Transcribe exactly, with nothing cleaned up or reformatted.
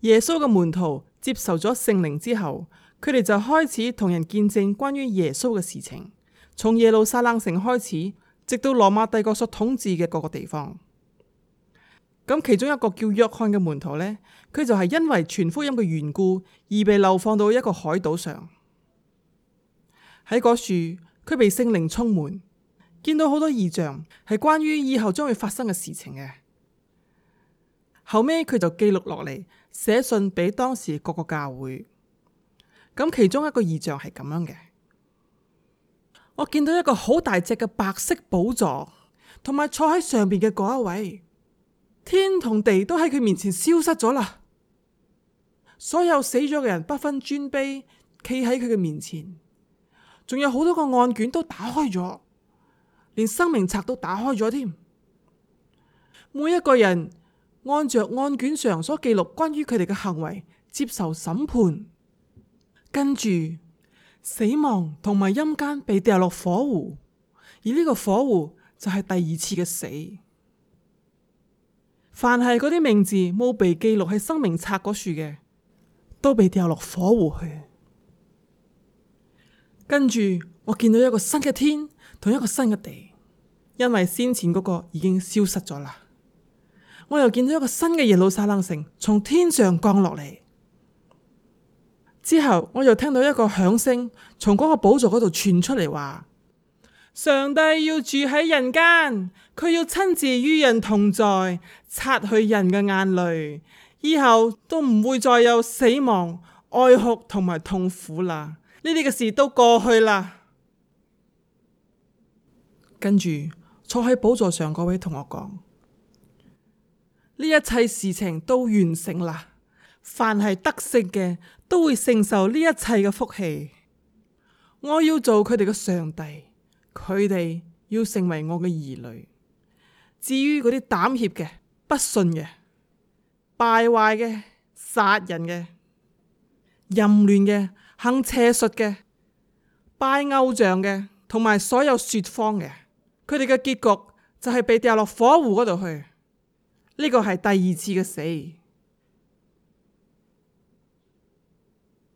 耶穌嘅門徒接受咗聖靈之後，佢哋就開始同人見證關於耶穌嘅事情，從耶路撒冷城開始，直到羅馬帝國所統治嘅各個地方。咁其中一個叫約翰嘅門徒呢，佢就係因為傳福音嘅緣故而被流放到一個海島上。喺嗰處，佢被聖靈充滿，見到好多異象，係關於以後將會發生嘅事情嘅。後尾佢就記錄落嚟，寫信俾當時各個教會。咁其中一個異象係咁樣嘅，我見到一個好大隻嘅白色寶座，同埋坐喺上邊嘅嗰一位，天同地都喺佢面前消失咗啦。所有死咗嘅人不分尊卑，企喺佢嘅面前，仲有好多個案卷都打開咗，連生命冊都打開咗添。每一個人按着案卷上所記錄關於佢哋嘅行為接受審判，跟住死亡同埋陰間被掉落火湖，而呢個火湖就係第二次嘅死。凡係嗰啲名字冇被記錄喺生命冊嗰處嘅，都被掉落火湖去。跟住我見到一個新嘅天同一個新嘅地，因為先前嗰個已經消失咗啦。我又見到一個新嘅耶路撒冷城從天上降落嚟，之後我又聽到一個響聲從嗰個寶座嗰度傳出嚟，話上帝要住喺人間，佢要親自與人同在，擦去人嘅眼淚，以後都唔會再有死亡、哀哭同埋痛苦啦。呢啲嘅事都過去啦。跟住坐喺寶座上嗰位同我講，呢一切事情都完成啦，凡係得勝嘅都會承受呢一切嘅福氣。我要做佢哋嘅上帝，佢哋要成為我嘅兒女。至於嗰啲膽怯嘅、不信嘅、敗壞嘅、殺人嘅、淫亂嘅、行邪術嘅、拜偶像嘅，同埋所有說謊嘅，佢哋嘅結局就係被掉落火湖嗰度去。呢個係第二次嘅死。